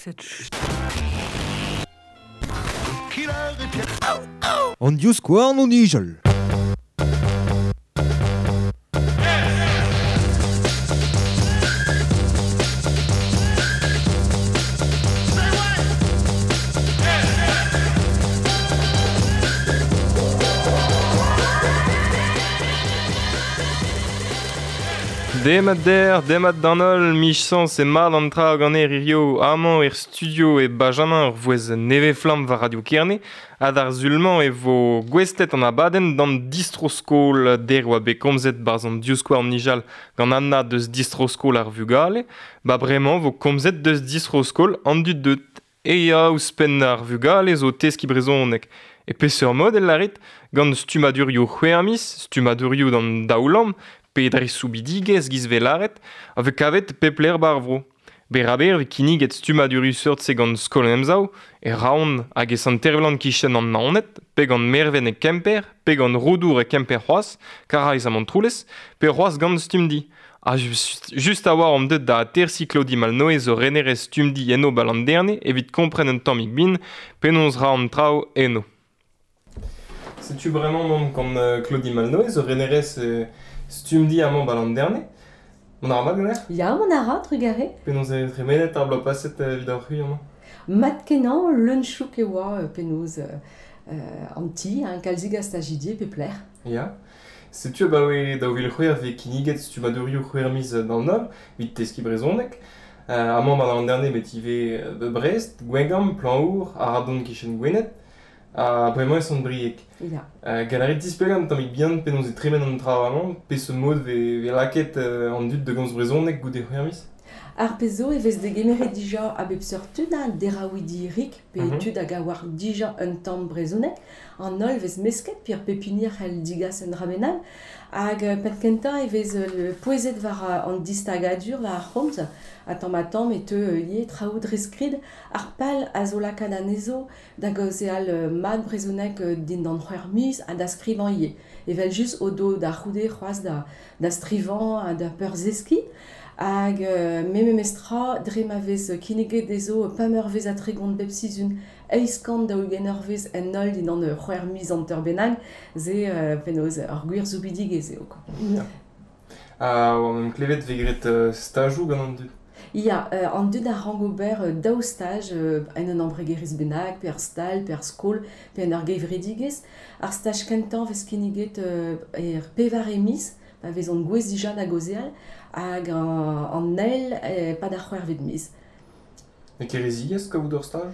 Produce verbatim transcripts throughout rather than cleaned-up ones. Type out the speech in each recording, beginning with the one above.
cette An divskouarn o nijal. Demat der, demat d'an holl, michañs e mat an tra gant hirio amañ er studio e Benjamin ur vouez nevez-flamm war Radio Kerne ha d'ar zulmañ e vo gouestlet an abadenn d'an distro-skol der oa bet komzet barzh an divskouarn nijal gant Anna deus distro-skol ar vugale, ba bremañ vo komzet deus distro-skol an dud deut e ya ouzhpenn ar vugale zo teskiñ brezhoneg. E peseurt mod el larit gant stummadurioù c'hwec'h miz, stummadurioù d'an daoulamm, pe dre soubidigezh giz velaret, a vez kavet pep lec'h bar vro. Beraber vez kinniget stummadurioù seurt-se gant Skol an Emsav, e Raon hag e Sant-Ervlan kichen an Naoned, pe gant Merven e Kemper, pe gant Roudour e Kemper c'hoazh, Karaez ha Montroulez, pe c'hoazh gant Stumdi. Ha just, just a-walc'h omp deuet da atersiñ Claudie Malnoe zo renerez Stumdi eno 'ba Landerne evit kompren un tammig bin penaos ra an traoù eno. Setu bremañ omp gant Claudie Malnoe zo renerez euh, Stumdi amañ 'ba Landerne. Mont a ra mat ganeoc'h? Ya, mont a ra, trugarez. Penaos eo tremenet ar bloaz paset evit ar c'hwi amañ? Mat kenañ, leun chouk e oa penaos euh, an ti, hein, kalzig a stajidi pe plec'h. Ya. Setu abaoe daou vil c'hwec'h vez kinniget stummadurioù c'hwec'h miz d'an holl, evit teskiñ brezhoneg. Euh, amañ 'ba Landerne bet ivez euh, Brest, Gwengamp, Plañvour, Aradon kichen Gwened. Ha bremañ e Sant-Brieg. Ya. Euh, gant a rit displegañ un tammig bihan penaos e tremen an traoù amañ, peseurt mod vez, vez lakaet euh, an dud da gomz brezhoneg goude c'hwec'h miz? Ar pezh zo e vez degemeret dija a bep seurt tud, ha deraouidi rik, pe mm-hmm. tud hag a oar dija un tamm brezhoneg. An holl vez mesket, pe ar pep hini a c'hell digas un dra bennak. Hag penn kentañ e vez pouezet war an distagadur war ar c'homz, ha tamm ha tamm e teu ivez traoù dre skrid. Ar pal a zo lakaat anezho da gaozeal mat brezhoneg dindan c'hwec'h miz ha da skrivañ ivez. Evel just o do da c'houde c'hoazh da, da strivañ ha da peurzeskiñ. Hag euh, me memestra dre ma vez kinniget dezho pemp eurvezh ha tregont bep sizhun eizh kant daou-ugent eurvezh en holl dindan c'hwec'h miz hanter bennak, se euh, penaos ur gwir soubidigezh eo quoi. Ya. Ha oa meump klevet vez graet euh, stajoù gant an dud. Ya, euh, an dud a rank ober euh, daou staj euh, en un embregerezh bennak, pe ar stal, pe ar skol, pe en ur gevredigezh. Ar staj kentañ vez kinniget euh, er pevare miz, pa vezont gouez dija da gaozeal, hag an, an eil eh, pad ar c'hwec'hvet miz. E kereziez kaout ur staj?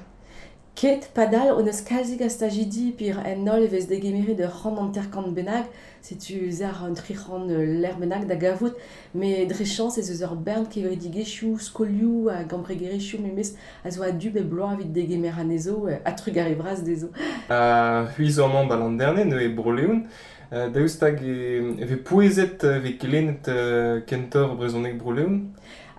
Ket padal on eus kalzik a stajidi pir en holl e vez degemeret ur c'hant hanter-kant bennak, setu se ar un tri c'hant lec'h bennak da gavout, met dre chañs ez eus ur bern kevredigezhioù, skolioù hag embregerezhioù memes a zo a-du bep bloaz evit degemer anezho ha trugarez bras dezho. Ha c'hwi zo amañ 'ba Landerne, neuze e Bro-Leon. Euh, daoust hag e, e vez pouezet e vez kelennet euh, kentoc'h brezhoneg Bro-Leon?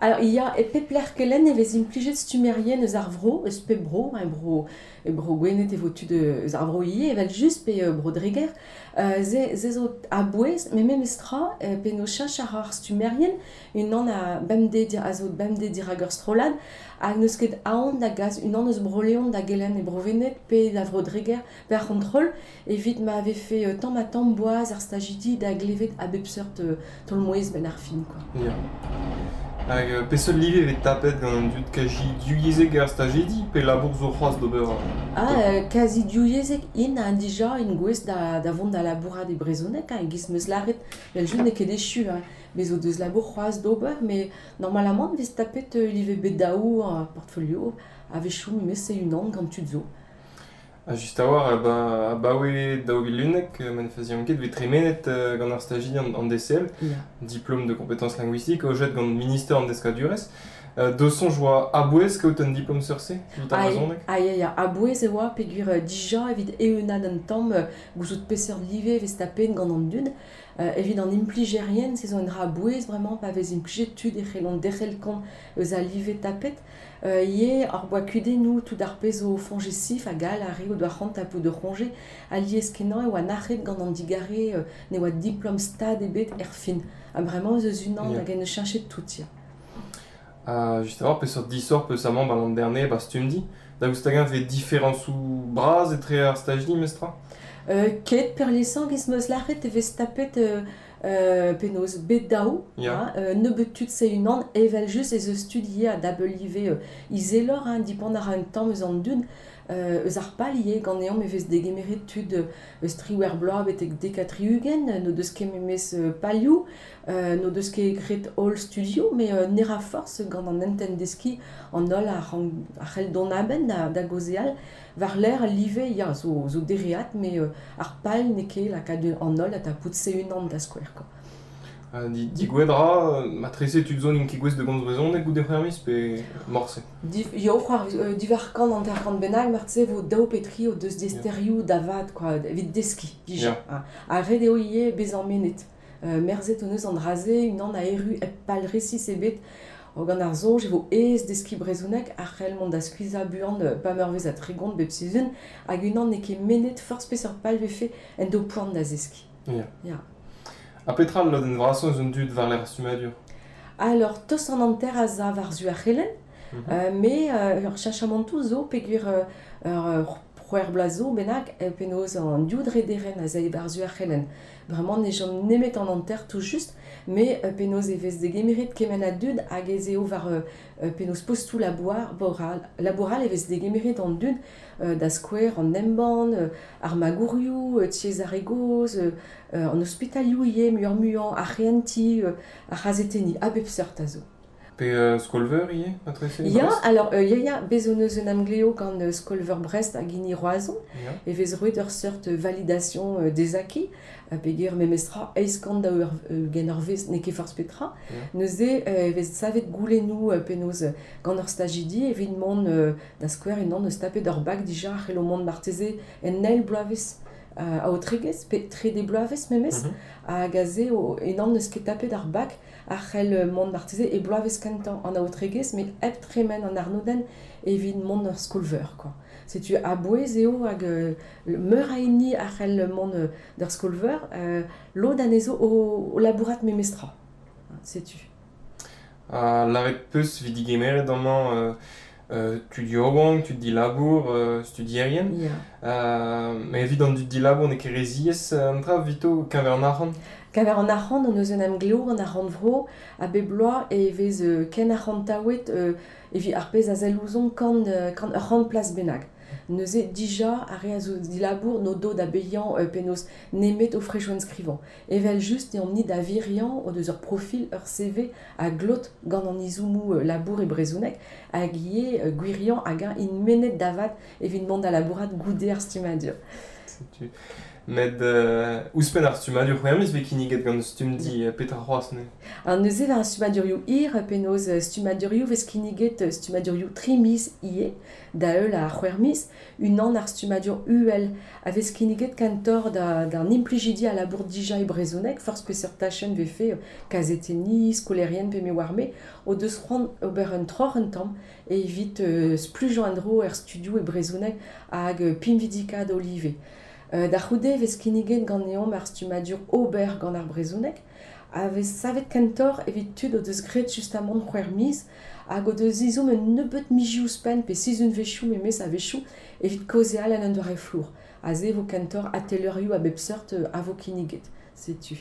Alors, ya, e pep lec'h kelenn e vez implijet stummerien eus ar vro, eus pep bro, hein, bro, e bro Gwened e vo tud eus ar vro ivez, evel just pe euh, bro Dreger. Euh, ze, ze zo a-bouez, met memestra, euh, penaos cheñch ar ar stummerien, unan a bemdez a zo bemdez dirak ur strollad, hag n'eus ket aon da gas unan eus Bro-Leon da gelenn e Bro-Wened pe da vro Dreger pe ar c'hontrol, evit ma vefe euh, tamm ha tamm boaz ar stajidi da glevet a bep seurt euh, taol-mouezh benn ar fin, quoi. Ya. Hag euh, peseurt live vez tapet gant an dud kazi divyezhek ar stajidi pe labour zo c'hoazh d'ober? Ah, euh, kazi divyezhek int ha dija int gouest da, da vont da labourat e brezhoneg, hein, e-giz meus lâret, vel just n'eo ket echu, hein. Bez zo deus labour c'hoazh d'ober, met normalamant vez tapet euh, live bet daou uh, portfolio, a-wechoù memes e unan gant tud zo. Ha just a-walc'h, ba, abaoe daou vil unnek, ma ne fazian ket, vez tremenet euh, gant ar stajidi an, an D C L, Ya. diplôme de compétences linguistiques, aojet gant ministère an deskadurezh. Euh, do soñj oa a-bouez kaout un diplôme seurt-se, evit ar Ah, brezhoneg? Ah, ya, ya, a-bouez e oa peogwir euh, dija evit eeunaat un tamm euh, gouzout peseurt live vez tapet gant an dud. Euh, evit an implijerien, se zo un dra a-bouez vraiment pa vez implijet tud e c'hellont derc'hel kont eus al live tapet. Euh, ivez ar boa kudennoù tout ar pezh zo foñjesif hag all ar re o doa c'hoant tapout ur c'hoñje, alies kenañ e oa nac'het gant an digare euh, ne oa diplôme stad ebet er fin. Ha bremañ ez eus unan Ya. hag en eus cheñchet tout, ya. Uh, just a-walc'h peseurt disoc'h peuzamant ba l'an dernier ba stumdi. Daoust hag-eñ vez diferañsoù bras etre ar stajidi memestra? Euh, ket peurliesañ giz 'm eus lâret e vez tapet euh, euh, penaos bet daou, Ya. hein, euh, nebeut tud se unan, evel-just ez eus tud ivez a dabl live euh, izeloc'h, hein, dipant a ra un tamm eus an dud, euh, eus ar pal ivez ganeomp e vez degemeret tud euh, eus triwec'h bloaz betek dek ha tri-ugent, n'o deus ket memes euh, palioù, euh, n'o deus ket graet holl studioù, met euh, ne ra forzh gant an hentenn deskiñ an holl a rank a c'hell dont a-benn da, da gaozeal, war-lerc'h al live ya zo, zo dereat, met euh, ar pal n'eo ket lakaat an holl da tapout se unan da skouer quoi. Uh, di, digouet ra, matrese tud zo n'int ket gouest da gomz brezhoneg goude c'hwec'h miz pe morse? Div, yo, c'hoar, euh, diwar kant hanter-kant bennak, marteze vo daou pe tri o deus diaesterioù da vat quoi, evit deskiñ dija. Ya. Ha, ha ret eo ivez bezañ mennet. Euh, merzet hon eus an dra-se, unan a erru hep pal resis ebet, o gant ar soñj e vo aes deskiñ brezhoneg a c'hell mont da skuizhañ buan euh, pa meurvez ha tregont bep sizhun, hag unan n'eo ket mennet forzh peseurt pal vefe en do poan da zeskiñ. Ya. Ya. Ha petra al lodenn vrasañ eus an dud war-lerc'h ar stummadur? Alors, tost an hanter a za war-zu ar c'helenn, Mm-hmm. euh, met euh, ur cheñchamantoù zo peogwir euh, ur c'hwec'h bloaz zo bennak euh, penaos an div drederenn a zae war-zu ar c'helenn. Bremañ ne chom nemet an hanter tout just, met euh, penaos e vez degemeret kement a dud hag ez eo war euh, euh, penaos postoù labour, boral, laboural e vez degemeret an dud euh, da skouer an embann, euh, ar magourioù, euh, tiez ar re gozh, euh, euh, an ospitalioù ivez muioc'h-muiañ, ar c'hehentiñ, euh, ar c'hazetenniñ, a bep seurt a zo. Pe euh, Skolveur ivez, matrese? Ya, Brest? alors, euh, ya, ya, bez hon eus un emgleo gant euh, Skolveur Brest hag hini Roazhon, Ya. e vez roet ur seurt validation euh, des acquis, euh, peogwir memestra eizh kant daou ur, euh, ugent ur wezh n'eo ket forzh petra. Ya. Neuze euh, e vez savet goulennoù euh, penaos euh, gant ur stajidi evit mont euh, da skouer unan eus tapet ur bak dija a c'hello mont marteze en eil bloavezh euh, aotregezh, pe trede bloavezh memes, Mhm. hag aze o unan n'eus ket tapet ar bak a c'hell euh, mont marteze e bloavezh kentañ an aotregezh, met hep tremen an arnodenn evit mont ur skolveur quoi. Setu a-bouez eo hag euh, meur a hini a c'hell mont euh, d'ur skolveur, euh, lod anezho o, o labourat memestra. Setu. Ha lâret peus evit digemeret amañ euh, euh, tud yaouank, tud dilabour, euh, studierien. Ya. Euh, met evit an dud dilabour n'eo ket re ziaes an dra evito keñver an arc'hant? Keñver an arc'hant, hon eus un emglev gant ar rannvro, a bep bloaz e vez euh, ken arc'hantaouet euh, evit ar pezh a sell ouzhomp kant, euh, kant ur c'hant plas bennak. Neuze dija ar re a zo dilabour n'o do da baeañ euh, penaos nemet o frejoù enskrivañ. Evel just eomp-ni da viriañ o deus ur profil, ur C V a glot gant an izommoù euh, labour e brezhoneg hag ivez euh, gwiriañ hag-eñ int mennet da vat evit mont da labourat goude ar stummadur. Setu. Met euh, ouzhpenn ar stummadur c'hwec'h miz vez kinniget gant stumdi euh, petra c'hoazh neuze? An neuze war ar stummadurioù hir, penaos euh, stummadurioù vez kinniget euh, stummadurioù tri miz ivez, da heul ar c'hwec'h miz, unan ar stummadur uhel a vez kinniget kentoc'h da, d'an implijidi a labour dija e brezhoneg, forzh peseurt tachenn vefe euh, kazetenniñ, skolaerien pe me oar me, o deus c'hoant ober un troc'h un tamm evit euh, splujañ en-dro er studioù e brezhoneg hag euh, pinvidikaat o live. Euh, da c'houde vez kinniget ganeomp ar stummadur ober gant ar brezhoneg, a vez savet kentoc'h evit tud o deus graet justamant c'hwec'h miz hag o deus izhomm un nebeud mizioù ouzhpenn pe sizhunvezhioù memes a-wechoù evit kaozeal en un doare flour. Aze vo kentoc'h atelerioù a bep seurt euh, a vo kinniget. Setu.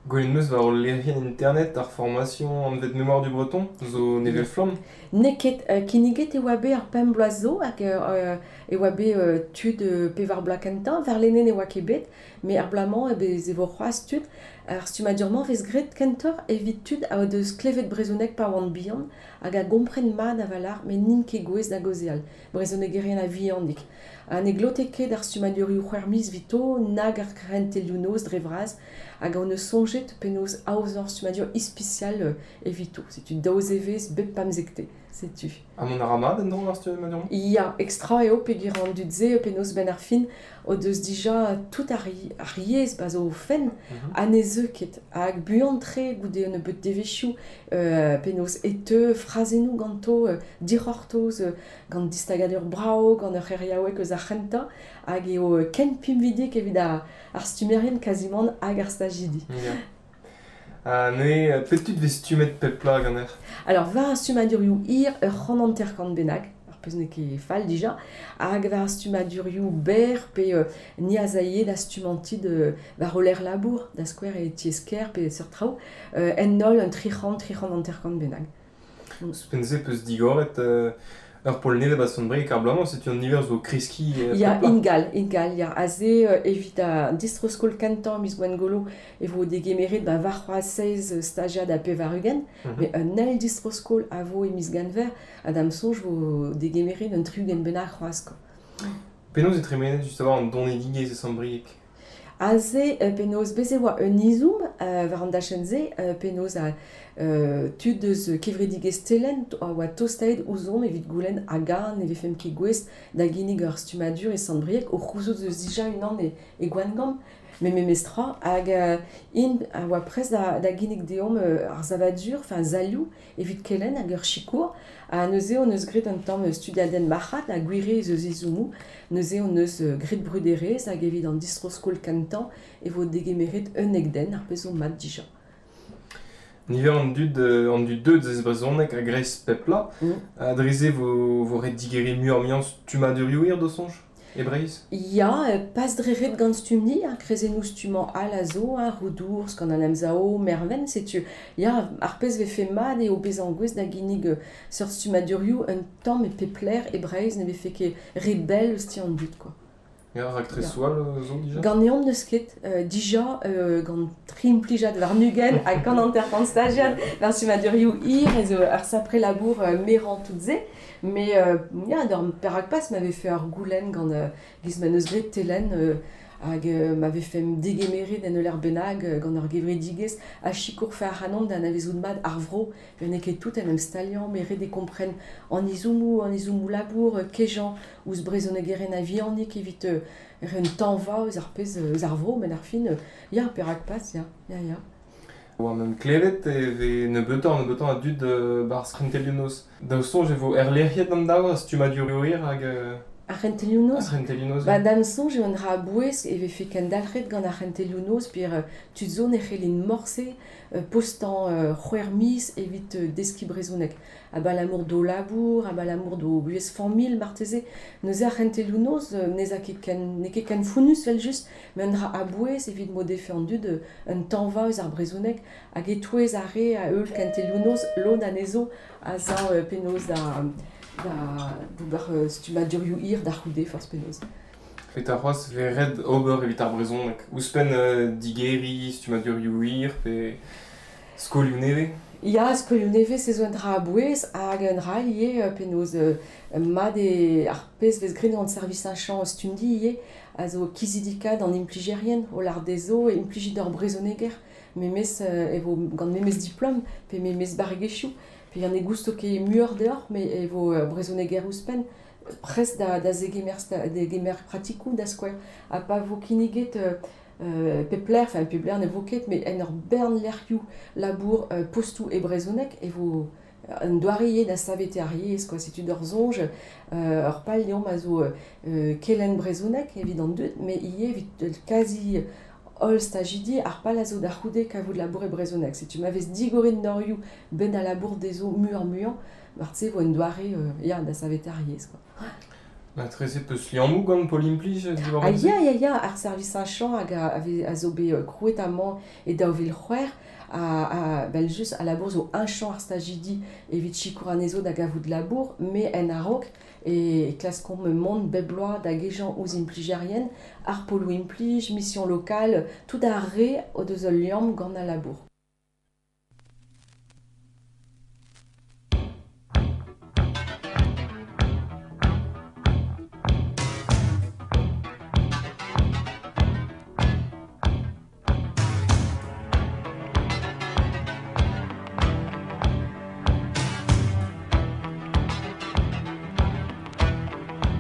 Gwelet 'm eus war ul lec'hienn internet ar formation anvet Mémoire du Breton, zo nevez flamm? N'eo ket euh, kinniget e oa bet ar pemp bloaz zo hag euh, e oa bet euh, tud euh, pevar bloaz kentañ, warlene ne oa ket bet, met ar bloaz-mañ e bez e vo c'hoazh tud. Ar stummadur-mañ vez graet kentoc'h evit tud a o deus klevet brezhoneg pa oant bihan hag a gompren mat a-walc'h met n'int ket gouest da gaozeal, brezhonegerien a-vihanik. Ha ne glote ket ar stummadurioù c'hwec'h miz evito, nag ar c'hentelioù noz dre vras, hag hon eus soñjet penaos aozañ ur stummadur ispisial euh, evito. Setu daou zevezh bep pemzekte, setu. Ha mont a ra mat en-dro ar stummadur-mañ? Ya, extra eo peogwir an dud-se penaos benn ar fin o deus dija tout ar, ar yezh ba zo o fenn, Mhm. ha ne zeu ket. Hag buan-tre goude un nebeud devezhioù euh, penaos e teu frazennoù ganto euh, dic'hortoz euh, gant distagadur brav, gant ur c'heriaoueg eus ar c'hentañ, hag eo euh, ken pinvidik evit ar, ar stummerien kazimant hag ar stajidi. Ya. Ha ne, pet tud vez stummet pep pla ganer? Alors, war ar stummadurioù hir ur c'hant hanter-kant bennak, ar pezh n'eo ket fall dija, hag war ar stummadurioù berr pe euh, ni a zaie da stummanti de war roller labour, da skouer e tiez-ker pe seurt traoù, euh, en holl un tri c'hant, tri c'hant hanter-kant bennak. Ouzhpenn-se peus digoret euh, ur pol nevez ba Sant-Brieg ar bloaz-mañ, setu an niver zo kreskiñ euh, Ya, pep pla. ingal, ingal, ya, aze euh, evit a distro-skol kentañ miz Gwengolo e vo degemeret ba war c'hoazh seizh stagiad ha pevar-ugent, Mhm. mais un eil distro-skol a vo e miz Genver, ha da'm soñj vo degemeret un tri-ugent bennak c'hoazh, quoi. Penaos e tremenet just a-walc'h an donedigezh e Sant-Brieg? Aze, euh, penaos bez e oa un izoum euh, war an dachenn-se, euh, penaos a euh, tud eus kevredigezh Telen a oa tostaet ouzhomp evit goulenn hag-an ne vefemp ket gouest da ginnig ur stummadur e Sant-Brieg o c'houzout eus dija unan e, e Gwengamp, me memestra, hag euh, int a oa prest da, da ginnig deomp euh, ar savadur, enfin zalioù, evit kelenn hag ur sikour, ha neuze hon eus graet un tamm studiadenn marc'had ha gwire eus eus izoumou, neuze hon eus euh, graet bruderezh hag evit an distro-skol kentañ e vo degemeret un den ar pezh zo mat dija. Niver an dud, euh, an dud deut ez brezhoneg a gres pep pla, Mm. a dreze vo, vo ret digeriñ muioc'h muiañ stummadurioù hir d'o soñj, e Breizh? Ya, euh, pas dreret gant stumni, ar krezennoù stummañ all a zo, hein, Roudour, gant an emzao, Merven, setu. Ya, ar pezh vefe mat eo bezañ gouest da ginnig euh, seurt stummadurioù un tamm e pep lec'h e Breizh ne vefe ket re bell eus ti an dud, quoi. Ya, raktresoù all euh, zo dija? Ganeomp n'eus ket, euh, dija euh, gant tri implijad war nugen ha gant hanter-kant stagiad war stummadurioù hir ez eo ar sapre labour euh, merañ tout se, mais euh, ya, d'ur perak pas m'avait fait ur goulenn gant euh, giz ma neus graet Telen euh, hag euh, m'avait fait degemeret en ur bennak euh, gant ur gevredigezh ha sikour fer ac'hanon da anavezout mat ar vro, n'eo ket tout en em staliañ, met ret e kompren an izoumou, an izoumou labour, euh, kejañ ouzh brezhonegeren a vihanik evit euh, un tañva eus ar pezh eus ar vro, met ar fin, euh, ya, perak pas, ya, ya, ya. War meum klevet e vez nebeutañ nebeutañ a dud euh, bar c'hentelioù-noz. Da soñj e vo erlec'hiet an daou a stummadurioù hir hag euh, Ar c'hentelioù-noz? Ar c'hentelioù-noz. Ba da'm soñj eo un dra a-bouez e vefe kendalc'het gant ar c'hentelioù-noz peogwir euh, tud zo ne c'hellint morse euh, postañ euh, c'hwec'h miz evit euh, deskiñ brezhoneg. Abalamour d'o labour, abalamour d'o buhez familh marteze. Neuze ar c'hentelioù-noz euh, n'ez a ket ken, n'eo ket ken founnus evel-just, met un dra a-bouez evit m'o defe an dud euh, un tañva eus ar brezhoneg hag e-touez ar re a heul kentelioù-noz lod anezho a za euh, penaos da da d'ober euh, stummadurioù hir da c'houde forzh penaos. Petra c'hoazh vez ret ober evit ar brezhoneg? Ouzhpenn euh, digeriñ, stummadurioù hir pe skolioù nevez? Ya, skolioù nevez se zo un dra a-bouez hag un dra ivez euh, penaos euh, mat eo ar pezh vez graet gant servij ar chañ stumdi ivez a zo kizidikat an implijerien o lar dezho e implijit ur brezhoneger memes euh, e vo gant memes diplom pe memes barregezhioù pe an e gousto ket muioc'h deoc'h met e vo euh, brezhoneger ouzhpenn prest da, da zegemer, sta, degemer pratikoù da skouer ha pa vo kinniget euh, euh, pep lec'h, enfin pep lec'h ne vo ket, met en ur bern lec'hioù labour euh, postoù e brezhoneg e vo un doare ivez da savete ar yezh, quoi. Setu d'ur soñj, euh, ur pal deomp a zo euh, kelenn brezhoneg evit an dud, met ivez evit euh, kazi holl stajidi ar pal a zo da c'houde kavout labour e brezhoneg. Setu ma vez digoret norioù ben a labour dezho muioc'h muiañ, marteze vo un doare euh, ya, da savete ar yezh, quoi. Ma treze peus liammoù gant Pol Implij diwar Ah se? ya, ya, ya, ar servij ar chañ hag a, a, a zo bet euh, krouet amañ e daou vil c'hwec'h a, a, bel just a labour zo un chañ ar stajidi evit sikour anezho da gavout labour, met en a-raok e klaskomp mont bep bloaz da gejañ ouzh implijerien, ar poloù implij, mission locale, tout ar re o deus ul liamm gant al labour.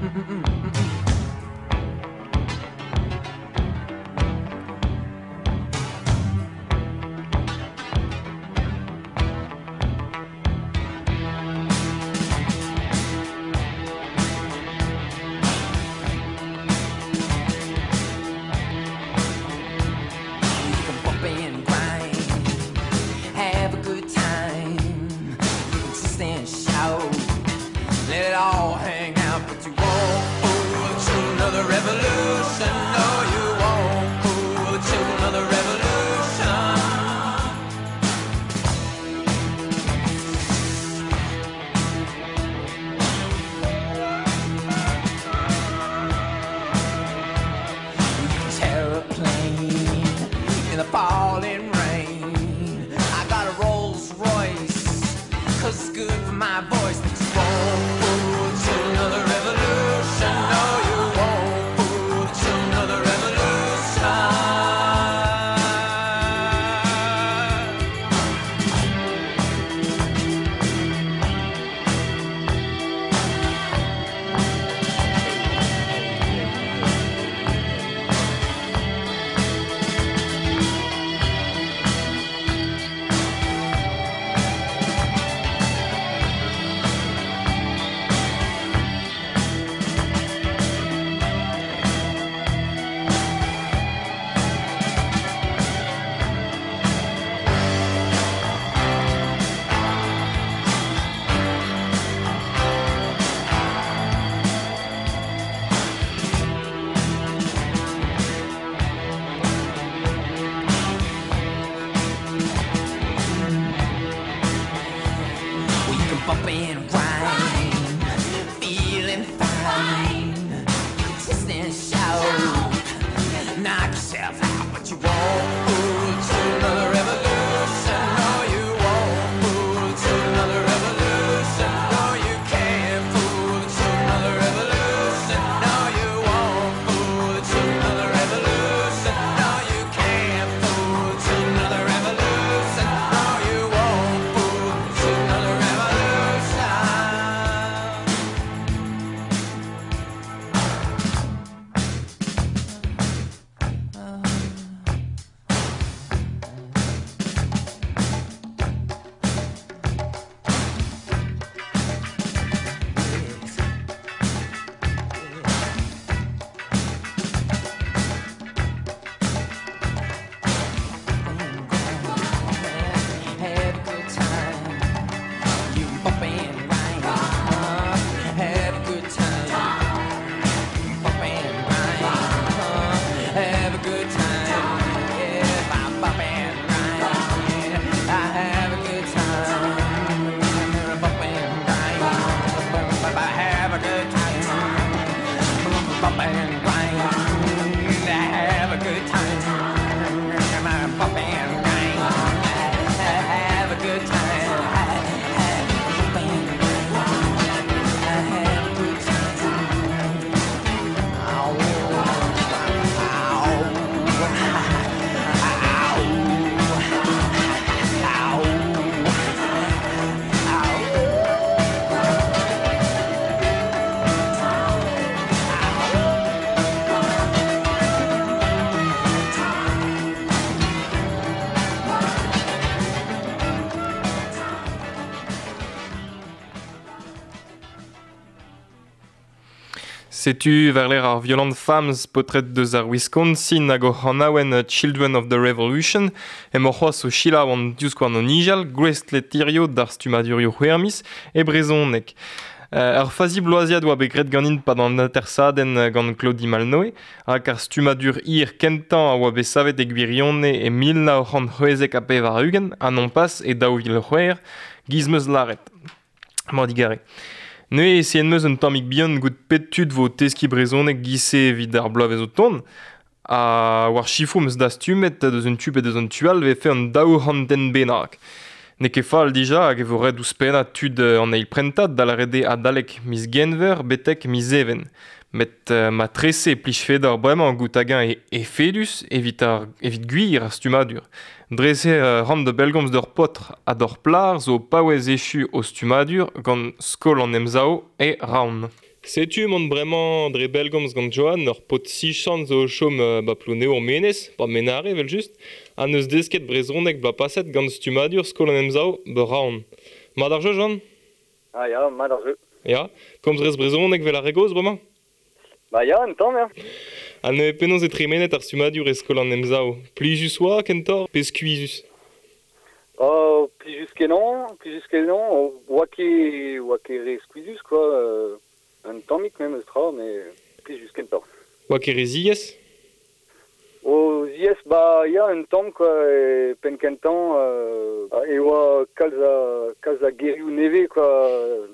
Mm-mm-mm. good for my voice. But you won't fool the children of the revolution. No, you won't fool the children of the revolution. Well, you can bump and grind, feeling fine. You can twist and shout, knock yourself out, but you won't fool the children of the revolution. No, you won't fool the children of the revolution. No, you can't fool the children of the revolution. No, you won't fool the children of the revolution. No, you can't fool the children of the revolution. No, you won't fool the children of the revolution. Have a good time. You bump and grind. Have a good time. Bump and grind. Have a good time. Yeah, I bump and grind. I have a good time. Bump and grind. Have a good time. Bump and grind. Have a good time. Bump and grind. Have a good time. Bump and grind. Have a good time. Ow, ow, ow, ow, ow. Setu war ar Violent Femmes potret deus ar Wisconsin hag o c'hanaouen Children of the Revolution emañ c'hoazh o selaou an divskouarn o nijal gouestlet hirio d'ar stummadurioù c'hwermiz e brezhoneg. Euh, ur fazi bloaziad oa bet graet ganin pad an atersadenn gant Claudie Malnoe hag ar stummadur hir kentañ a oa bet savet e gwirionez e mil nav c'hant c'hwezek ha pevar-ugent ha non pas e daou vil c'hwec'h giz meus lâret. Mañ digare. Neuze e sen meus un tammig bihan gout pet tud vo teskiñ brezhoneg giz-se evit ar bloavezh o tont ha war chifoù meus dastumet deus un tu pe deus un tu all vefe an daou c'hant den bennak. N'eo ket fall dija hag e vo ret ouzhpennañ tud an eil prentad da lâret eo adalek miz Genver betek miz Even. Met euh, ma trese e plijfe d'ar bremañ gout hag-eñ e efedus evit ar evit gwir ar stummadur. Dre-se euh, ran da bellgomz d'ur paotr ha d'ur plac'h zo paouez echu o stummadur gant Skol an Emsav e Rouen. Setu mont bremañ dre bellgomz gant Johan ur paotr sichant zo o chom euh, ba Plouneour Menez, ba Menare evel just, ha neus desket brezhoneg bloaz paset gant stummadur Skol an Emsav ba Rouen. Mat ar jeu, Johan? Ah ya, mat ar jeu. Ya, komz rez brezhoneg vel ar re gozh bremañ? Ba ya, un tamm, ya. Ha neuze penaos e tremenet ar stummadur e Skol an Emsav? Plijus oa, kentoc'h, pe skuizhus? Oh, plijus kenañ, plijus kenañ, oa ket, oa ket re skuizhus, quoi. Euh, un tammig memes tra, mais plijus kentoc'h. Oa ket re ziaes? O ziaes, ba ya, un tamm, quoi, e penn kentañ, euh, e oa kalz a, kalz a gerioù nevez, quoi,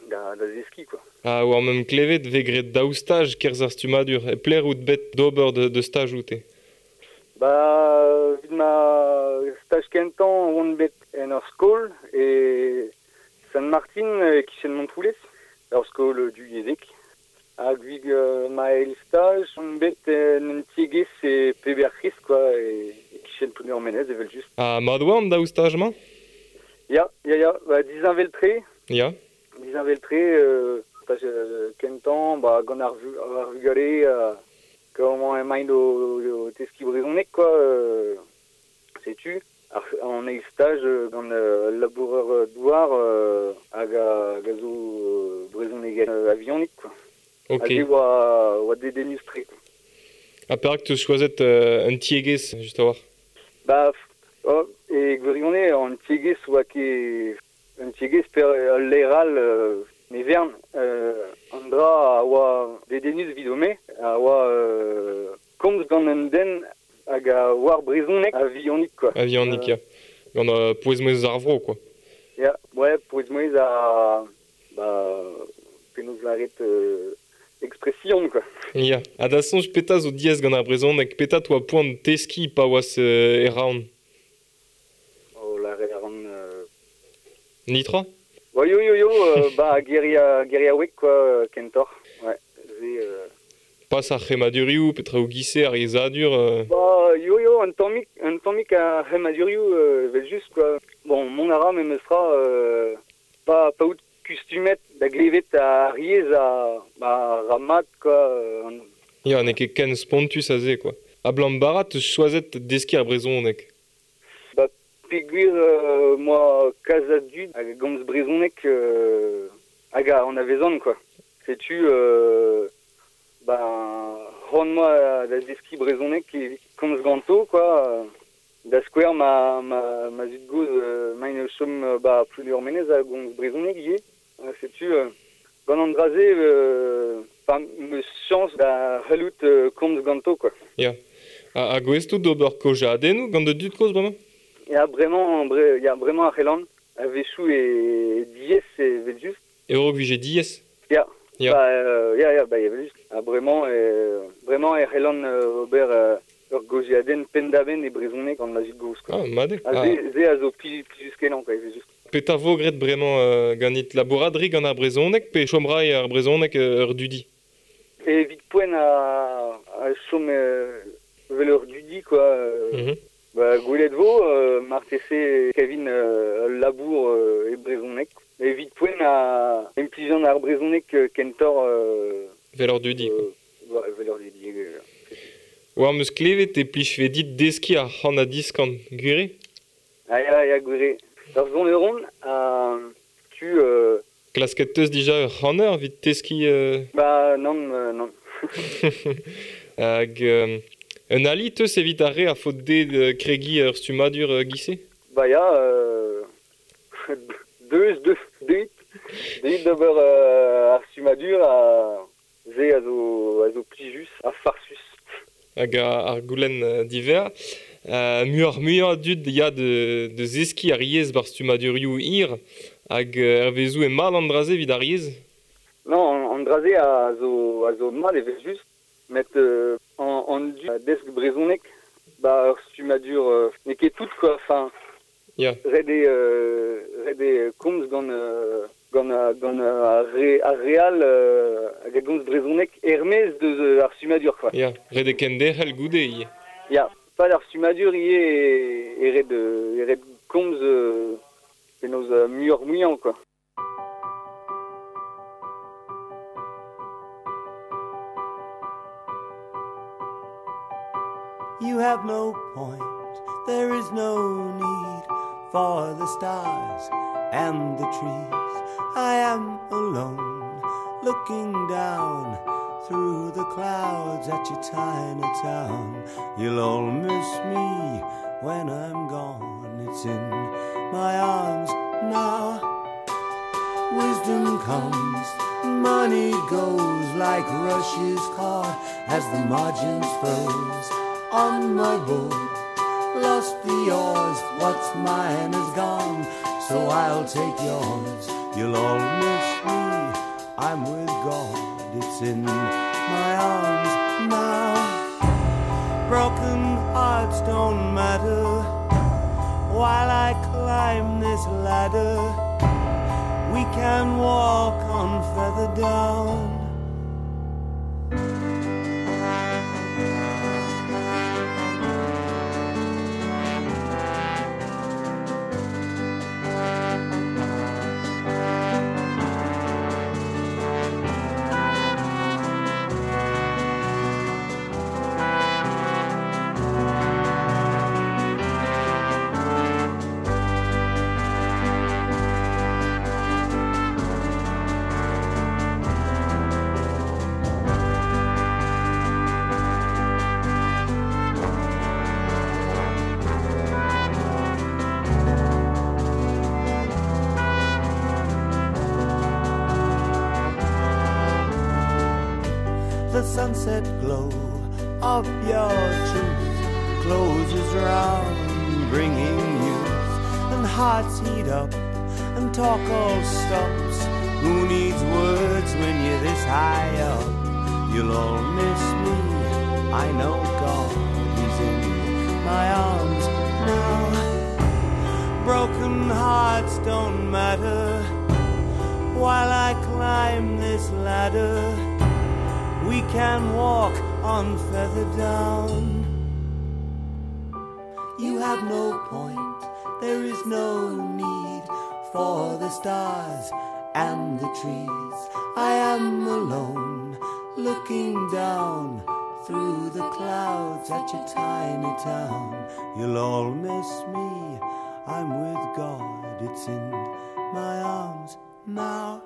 da, da zeskiñ, quoi. Ah, oa mem klevet vez graet daou staj kerzh ar stummadur, e pelec'h out bet d'ober de, de staj oute? Ba, evit ma staj kentañ on bet en ur skol, e Saint-Martin e kichen Montroulez, ur skol du yezek. Hag vig euh, ma eil staj, on bet en un tiegezh e Peberc'hris, quoi, e, e kichen Plounéour-Menez, evel just. Ha mat oa an daou staj-mañ? Ya, ya, ya, ba, dizinvel-tre. Ya. Dizinvel-tre, euh, staj euh, kentañ, ba, gant ar, vu, ar vugale, euh, comment emaint o, o teskiñ brezhoneg, quoi, euh, setu. Ar, an eil staj euh, gant euh, laboureur euh, douar euh, hag a, hag a zo euh, brezhoneg euh, avionik, quoi. Ok. Hag e oa, oa dedennus-tre, quoi. Ha perak teus choazet euh, un tiegezh, just a-walc'h? Ba, oh, e gwirionez an tiegezh oa ket un tiegezh per ul leral euh, ne vern euh, an dra a oa dedennus vidome a oa euh, komz gant un den hag a oar brezhoneg a vionik, quoi. A vionik, ya. Gant euh, pouez-mouezh ar vro, quoi. Ya, ouais, pouez-mouezh a... Ba, penaos lâret euh, expression, quoi. Ya. Ha da soñj petra zo diaes gant ar brezhoneg, petra toa poan teskiñ pa oas euh, e Roazhon? O lâret a ran... Euh... Nitra? Ba, yo, yo, yo, euh, ba, geria, geriaoueg, quoi, kentoc'h. Ouais, ze... Euh... Pas ar c'hemadurioù, petra o gise ar yezhadur... Euh... Ba, yo, yo, un tammig, un tammig ar c'hemadurioù, euh, evel just, quoi. Bon, mont a ra memestra, euh, pa, pa out kustumet da glevet ar yezh a, ba, ramat, quoi. Euh, an... Ya, n'eo ket ken spontus aze, quoi. Ha blam barat teus choazet deskiñ ar brezhoneg? Ba, peogwir euh, moa kalz a dud hag a gomz brezhoneg euh, hag a anavezan, quoi. Setu... Euh, ben, c'hoant moa da zeskiñ brezhoneg evit komz ganto, quoi. Da skouer ma, ma, ma zud-gozh euh, maint o chom ba Plounéour-Menez a gomz brezhoneg ivez. Setu, euh, gant an dra-se, euh, pa 'm eus chañs da c'hellout euh, komz ganto, quoi. Ya. Ha, ha gouest out d'ober kaozeadennoù gant da dud-kozh bremañ? Ya, bremañ, bre, ya, bremañ ar c'helan, a-wechoù e diaes evel just. E raok vije diaes? Ya. Ya. Ba, euh, ya, ya, ba, evel just. Ha bremañ, euh, bremañ e c'hellan euh, ober euh, ur gaozeadenn penn-da-benn e brezhoneg gant ma zud-gozh, quoi. Ah, mat eo. Ha Ah. ze, ze a zo plijus, plijus-kenañ, quoi, evel just. Petra vo graet bremañ euh, ganit labourat gant ar brezhoneg pe chom ray ar brezhoneg euh, ur dudi? Evit poent a, a chom euh, vel ur dudi, quoi. Euh, Mm-hmm. Ba, gwelet vo, euh, marteze kevin euh, ul labour euh, e brezhoneg. Evit poent a implijan ar brezhoneg euh, kentoc'h... Euh, Vel ur dudi, quoi. euh, ba, vel ur dudi, euh, War 'm eus klevet e plijfe dit deskiñ ar c'han ha diskan, gwir eo? Ah, ya, ya, gwir eo. Ur soneront a tu... Euh... Klasket teus dija ur c'haner evit teskiñ... Euh... Ba, nann, euh, nann. Hag euh, un ali teus evit ar re a faot dezhe euh, kregiñ ur stummadur euh, gise? Ba ya, euh... deus, deus, deuit. Deuit d'ober euh, ar stummadur a ze a zo, a zo plijus, a farsus. Hag ar goulenn euh, diver. Euh, muioc'h muiañ a dud ya de, de zeskiñ ar yezh bar stummadurioù hir hag euh, hervezoù e mat an dra-se evit ar yezh? Non, an, an dra-se a zo, a zo mat evel just, met euh, an, an dud a desk brezhoneg ba ur stummadur euh, n'eo ket tout, quoi, enfin, Ya. ret eo, euh, ret eo komz gant, euh, gant, euh, gant euh, ar re, ar real euh, hag a gomz brezhoneg er-maez deus euh, ar stummadur, quoi. Ya, ret eo kenderc'hel goude ivez. Ya, pas ar stummadur ivez e, e ret, e ret komz euh, penaos euh, muioc'h muiañ, quoi. You have no point, there is no need for the stars and the trees. I am alone, looking down through the clouds at your tiny town. You'll all miss me when I'm gone. It's in my arms now. Wisdom comes, money goes like rushes caught as the margins froze on my boat. Lost the oars, what's mine is gone, so I'll take yours. You'll all miss me, I'm with God, it's in my arms now. Broken hearts don't matter while I climb this ladder. We can walk on feather down. The sunset glow of your truth closes round, bringing youth, and hearts heat up, and talk all stops. Who needs words when you're this high up? You'll all miss me. I know God is in my arms now. Broken hearts don't matter while I climb this ladder. We can walk on feather down. You have no point, there is no need for the stars and the trees. I am alone, looking down through the clouds at your tiny town. You'll all miss me, I'm with God, it's in my arms now.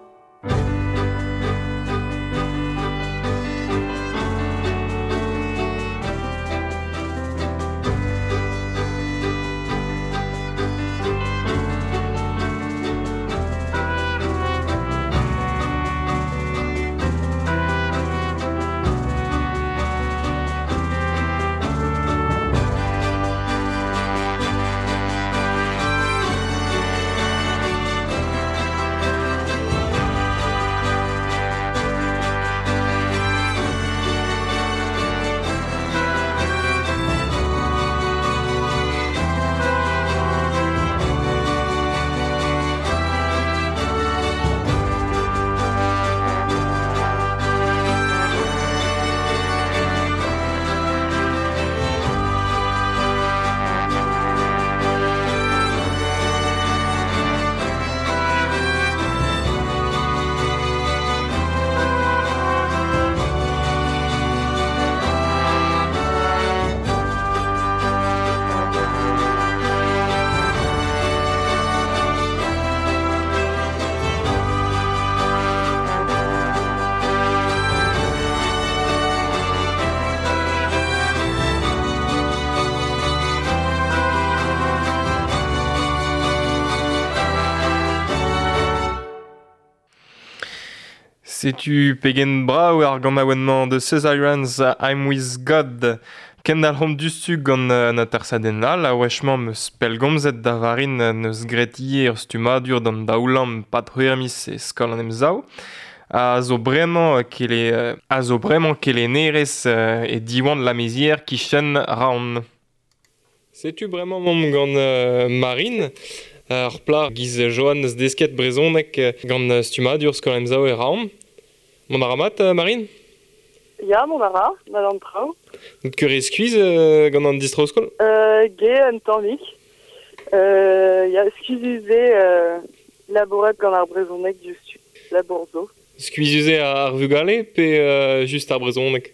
Setu pegen brav ar ganaouenn-mañ de Cesarians I'm With God. Kendalc'homp dustu gant an atersadenn all, a wech-mañ meus pellgomzet da varin neus graet ivez ur stummadur d'an daoulamm pad c'hwec'h miz e skol an Emsav. A zo bremañ kele, a zo bremañ kelennerez e Diwan la Mézières kichen Raon. Setu bremañ momp gant euh, Marine, ar pla giz Johan eus desket brezhoneg gant stummadur skol an Emsav e Raon. Mont a ra mat, Marine? Ya, mont a ra, mat an traoù. N'out ket re skuizh euh, gant an distro-skol? Euh, ge, un tammig. Euh, ya, skuizhus eo euh, labourat gant ar brezhoneg diouzhtu, labour zo. Skuizhus eo ar vugale pe euh, just ar brezhoneg?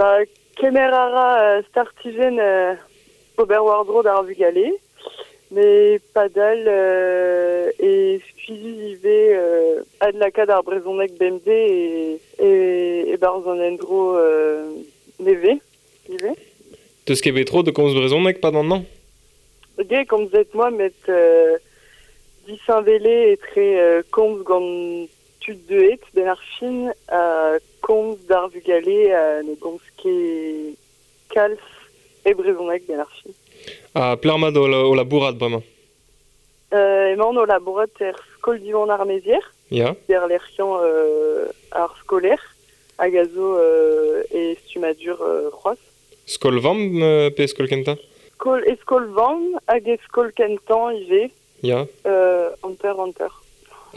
Ba, kemer a ra euh, startijenn euh, ober war-dro d'ar vugale, mais padal euh, e skuizhus ivez euh, adlakaat ar brezhoneg bemdez e, e, e barzh an endro euh, nevez, ivez. Teus ket bet tro de komz brezhoneg pad an hañv? Ge, komzet moa met euh, disheñvele etre euh, komz gant tud deuet ben ar fin ha komz d'ar vugale ha ne gomz ket kalz e brezhoneg ben ar fin. Ha pelec'h mat o, o labourat bremañ? Euh, emaon o labourat er skol Diwan ar Mézières. Ya. Der lec'hiañ euh, ar skolaer hag a zo euh, e stummadur euh, c'hoazh. Skol vamm euh, pe skol kentañ? Skol, e skol vamm hag e skol kentañ ivez. Ya. Euh, hanter hanter.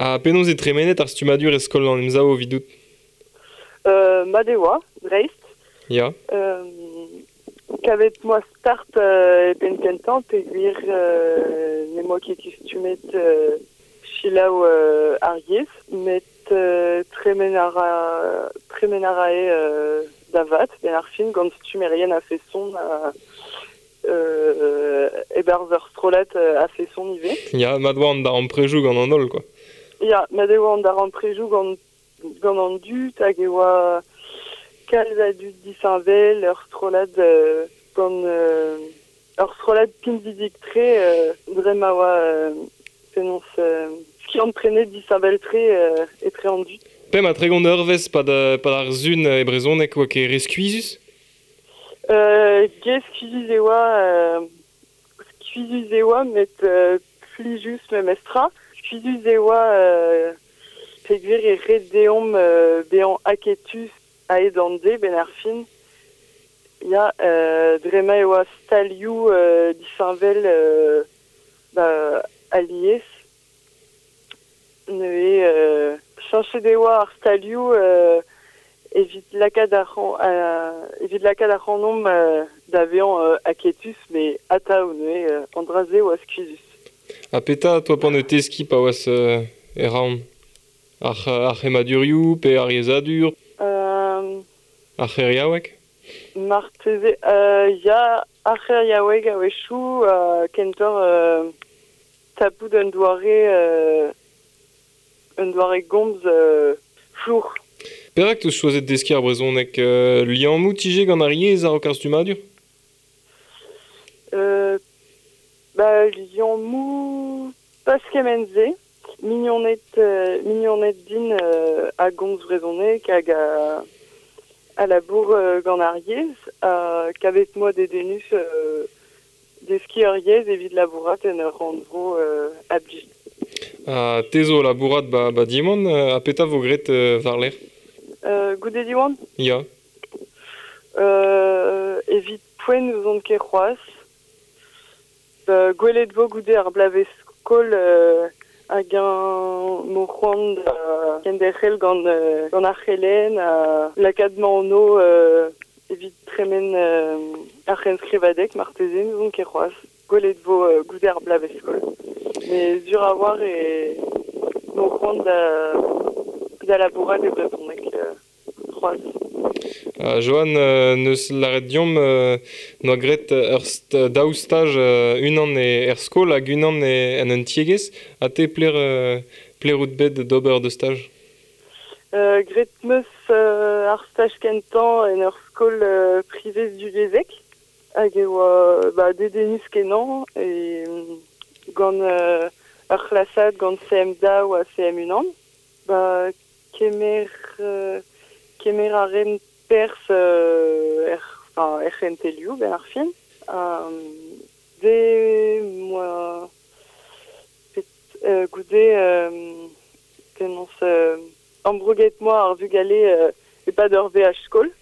Ha penaos e tremenet ar stummadur e skol an Emsav evidout? Euh, mat e oa, dreist. Ya. Euh, kavet moa start euh, e penn kentañ peogwir euh, ne moa ket kustumet euh, selaou euh, ar yezh, met euh, tremen a ra, tremen a rae euh, da vat, ben ar fin, gant stummerien a feson a, euh, e-barzh ur strollad euh, a feson ivez. Ya, mat oa an darempredoù gant an holl, quoi. Ya, mat e oa an darempredoù gant, gant an dud hag e oa kalz a dud disheñvel, ur strollad euh, gant euh, ur strollad pinvidik-tre euh, dre ma oa euh, penaos euh, skiant-prenet disheñvel-tre euh, etre an dud. Pemp ha tregont eurvezh pad, pad ar sun e brezhoneg oa ket re skuizhus? Euh, ge skuizhus e oa, euh, skuizhus e oa, met euh, plijus memestra. Skuizhus e oa euh, peogwir e ret deomp euh, bezañ aketus a-hed an deiz ben ar fin. Ya, euh, dre ma e oa stalioù euh, disheñvel euh, ba, alies. Neuze euh, cheñchet e oa ar stalioù euh, evit lakaat ar euh, evit lakaat ar c'hanomp euh, da vezañ euh, aketus, met atav neuze euh, an dra-se oa skuizhus. Ha petra toa c'hoant deskiñ pa oas euh, e Roazhon? Ar, ar c'hemmadurioù pe ar yezhadur? Euh, Ar c'heriaoueg? Marteze, euh, ya, ar c'heriaoueg a-wechoù, euh, kentoc'h euh, tapout un doare, euh, un doare gomz euh, flour. Perak teus choazet deskiñ ar brezhoneg? Euh, liammoù tije gant ar yezh a-raok ar stummadur? Euh, ba, liammoù pas kement-se. Mignoned, euh, mignoned din euh, a gomz brezhoneg hag a, a labour euh, gant ar yezh, ha kavet moa dedennus euh, deskiñ ar yezh evit labourat en ur rannvro euh, a blij. Ha te zo labourat ba, ba Diwan, euh, ha petra vo graet euh, war-lerc'h? Euh, goude Diwan? Ya. Euh, evit poent n'ouzon ket c'hoazh. Ba, gwelet vo goude ar bloavezh skol euh, hag un mo c'hoant da kenderc'hel gant, euh, gant ar c'helenn, ha lakaat ma anv euh, evit tremen euh, ar c'henskrivadeg marteze n'ouzon ket c'hoazh. Gwelet vo euh, goude ar bloavezh skol. Mais sur a war e mo c'hoant da, da labourat e brezhoneg euh, c'hoazh. Uh, Johan, euh, neus lâret deomp euh, noa graet ur st daou staj euh, unan e er skol hag unan e en un tiegezh. Ha te pler, euh, pler out bet d'ober de staj? Euh, graet 'meus euh, ar staj kentañ en ur skol euh, privez divyezhek. Hag e oa ba, dedennus kenañ e gant euh, ur c'hlasad gant C M daou ha C M unan. Ba, kemer, euh, kemer a ren perzh euh, er, enfin, er c'hentelioù ben ar fin. Euh, de moa pet, euh, goude euh, penaos euh, ambrouget moa ar vugale euh, e-pad ur V H skol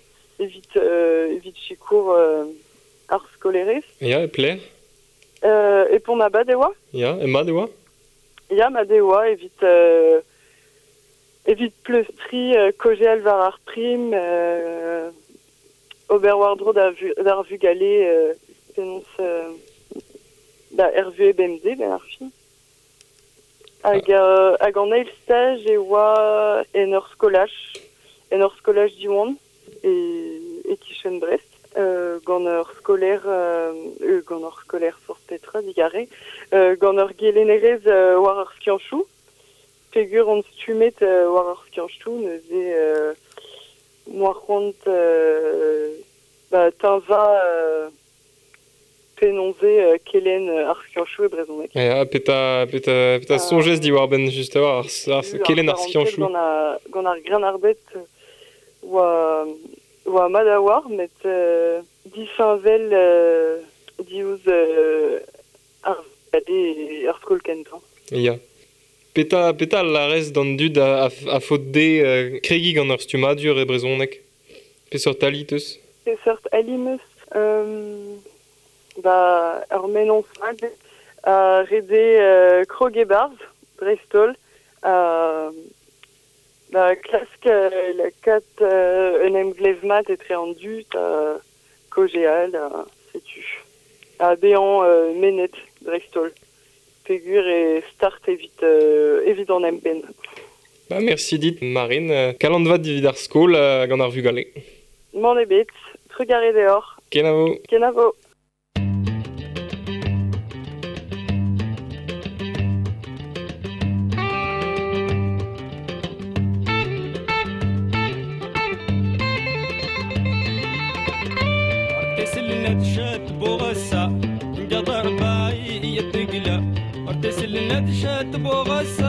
evit, euh, evit sikour euh, ar skolerez. Ya, e pler? Euh, e pont abad e oa? Ya, e mat e oa? Ya, mat e oa evit, euh, evit pleustriñ euh, kaozeal war ar prim, euh, ober war-dro da vu, d'ar vugale euh, penaos euh, da R V B M D ben ar fin. Hag, euh, hag an eil staj e oa en ur skolaj, en ur skolaj Diwan e, e kichen Brest. Euh, gant ur skolaer, euh, euh, gant ur skolaer forzh petra, digare, euh, gant ur gelennerez euh, war ar skianchoù. Peogwir on stummet euh, war ar skianchoù, neuze euh, moa c'hoant euh, ba, tañva euh, penaos eo euh, kelenn ar skianchoù e brezhoneg. Ya, petra, petra, petra Euh, soñjez diwar-benn just a-walc'h ar, ar, Ar kelenn ar parented skianchoù. Gant ar, gant ar grennarded oa, oa mat a war, met euh, disheñvel euh, diouzh euh, ar vugale ar skol kentañ. Ya. Petra, petra larez d'an dud a, a, a faot dezhe euh, kregiñ gant ur stummadur e brezhoneg? Peseurt ali teus? Peseurt ali 'meus? Euh, ba, ur mennozh mat Uh, rede uh, krogebarz, dreistol, uh, ba, klask uh, la kat uh, un emglev mat etre an dud, uh, kogeal, uh, setu. Ha bezañ uh, menet, dreistol. Pegur e start evit, uh, evit an empenn. Ba, merci dit, Marine. Kalant vat evit ar skol uh, gant ar vugale. M'en ebet, trugarez deoc'h. Kenavo. Kenavo. ندشت بوغسا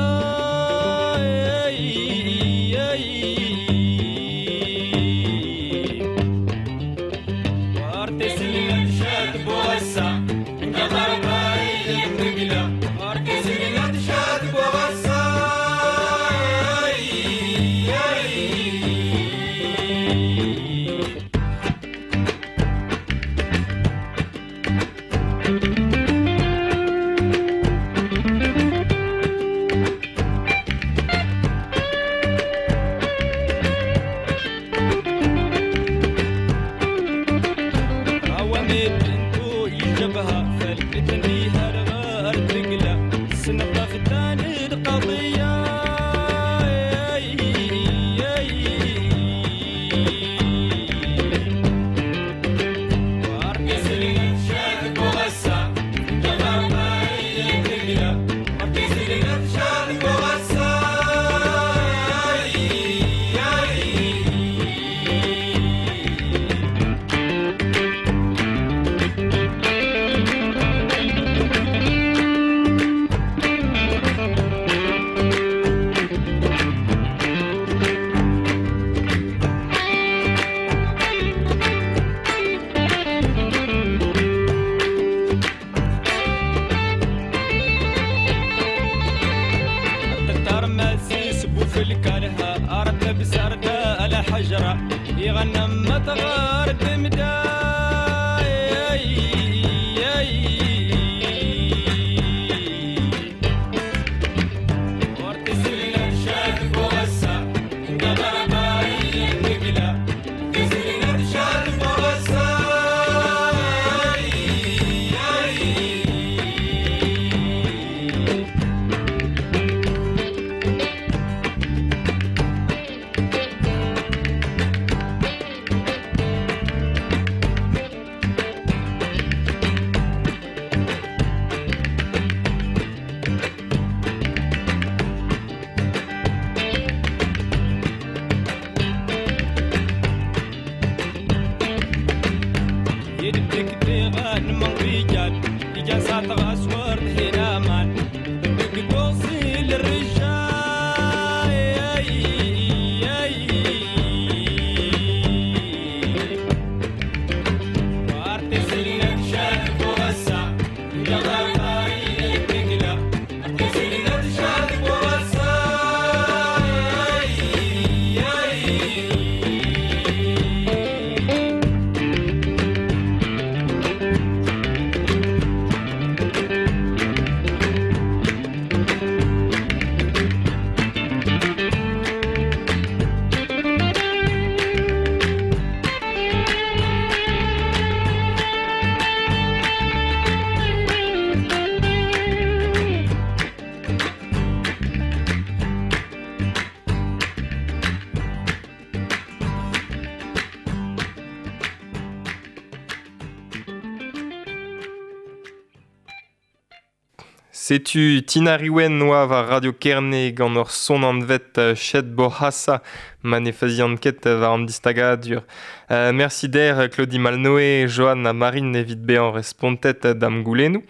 Setu Tina Riwen noa war Radio Kerne gant ur son anvet Chet Bohassa ma ne fazian ket war an distagadur. Euh, merci der Claudie Malnoé, Johan ha Marine evit bezañ respontet da'm goulennoù.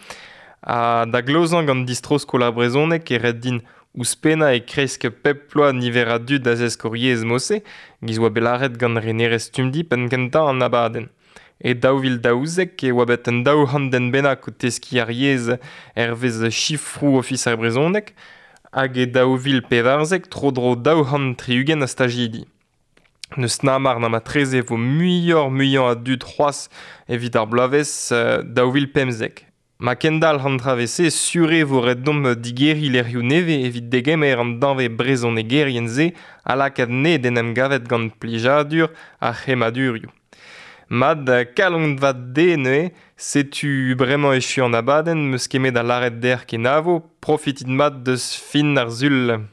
Ha da glozañ gant distro skol ar brezhoneg e ret din ouzhpennañ e kresk pep ploaz niver a dud a zesk hor yezh mose, giz oa bet lâret gant renerez Stumdi penn kentañ an abadenn. E daou vil daouzek e oa bet un daou c'hant den bennak o teskiñ ar yezh hervez sifroù ofis ar brezhoneg, hag e daou vil pevarzek tro-dro daou c'hant tri-ugent a stajidi. N'eus namar na matreze vo muioc'h muiañ a dud c'hoazh evit ar bloavezh daou vil pemzek. Ma kendal an travese sure vo ret domp digeri lec'hioù nevez evit degemer an danve brezhonegerien-se ha lakaat ne d'en em gavet gant plijadur ar c'hemmadurioù. Mad kalon vat de neuze, setu bremañ echu an abadenn, meus kemet a lâret dec'h kenavo, profitit mat deus fin ar sul.